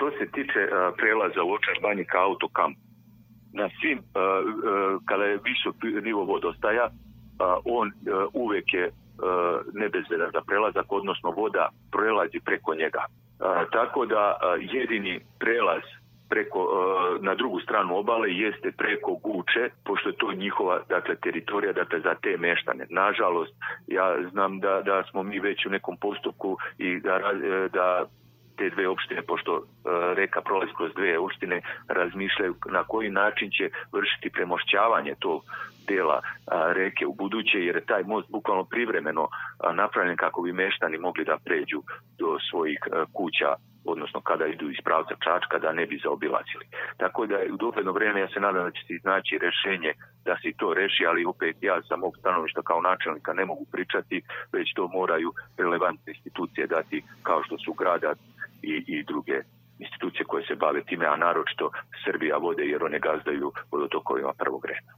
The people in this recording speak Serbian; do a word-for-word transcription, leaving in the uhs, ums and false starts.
što se tiče uh, prelaza u Ovčar banji ka autokampu, na svim, uh, uh, kada je visok nivo vodostaja, uh, on uh, uvek je uh, nebezbedan za prelazak, odnosno voda prelazi preko njega. Uh, tako da uh, jedini prelaz preko, uh, na drugu stranu obale jeste preko Guče, pošto je to njihova, dakle, teritorija, dakle, za te meštane. Nažalost, ja znam da, da smo mi već u nekom postupku i da, da te dve opštine, pošto uh, reka prolazi kroz dve opštine, razmišljaju na koji način će vršiti premošćavanje tog dela uh, reke u buduće, jer je taj most bukvalno privremeno uh, napravljen kako bi meštani mogli da pređu do svojih uh, kuća, odnosno kada idu iz pravca Čačka, da ne bi zaobilazili. Tako da u dogledno vreme ja se nadam da će se iznaći rešenje da se to reši, ali opet ja sa mog stanovišta kao načelnika ne mogu pričati, već to moraju relevantne institucije dati, kao što su grada i, i druge institucije koje se bave time, a naročito Srbija vode, jer one gazdaju vodotokovima prvog reda.